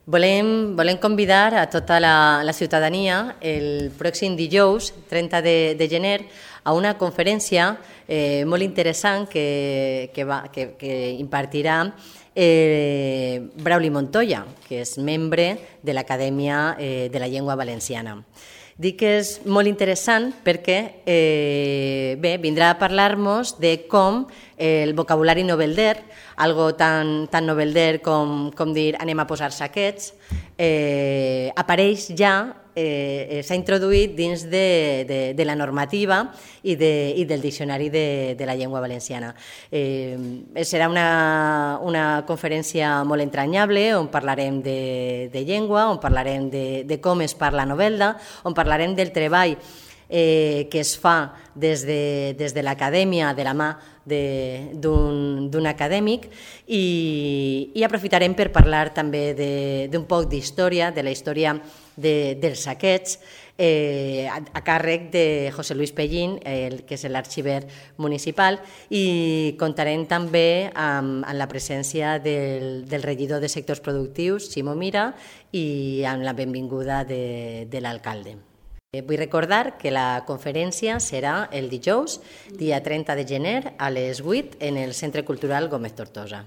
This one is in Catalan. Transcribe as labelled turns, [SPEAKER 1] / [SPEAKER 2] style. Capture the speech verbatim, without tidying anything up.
[SPEAKER 1] Volem, volem convidar a tota la, la ciutadania el pròxim dijous, trenta de, de gener, a una conferència eh, molt interessant que, que, va, que, que impartirà eh, Brauli Montoya, que és membre de l'Acadèmia eh, de la Llengua Valenciana. Dic que és molt interessant perquè eh, bé, vindrà a parlar-nos de com el vocabulari novelder, algo tan, tan novelder com, com dir anem a posar saquets, eh, apareix ja, eh, s'ha introduït dins de, de, de la normativa i, de, i del diccionari de, de la llengua valenciana. Eh, serà una, una conferència molt entranyable on parlarem de, de llengua, on parlarem de, de com es parla novel·la, on parlarem del treball eh, que es fa des de, des de l'acadèmia de la mà d'un acadèmic i, i aprofitarem per parlar també d'un poc d'història, de la història de, dels saquets, eh, a, a càrrec de José Luis Pellín, el, que és l'arxiver municipal, i contarem també amb, amb la presència del, del regidor de sectors productius, Ximo Mira, i amb la benvinguda de, de l'alcalde. Vull recordar que la conferència serà el dijous, dia trenta de gener, a les vuit, en el Centre Cultural Gómez Tortosa.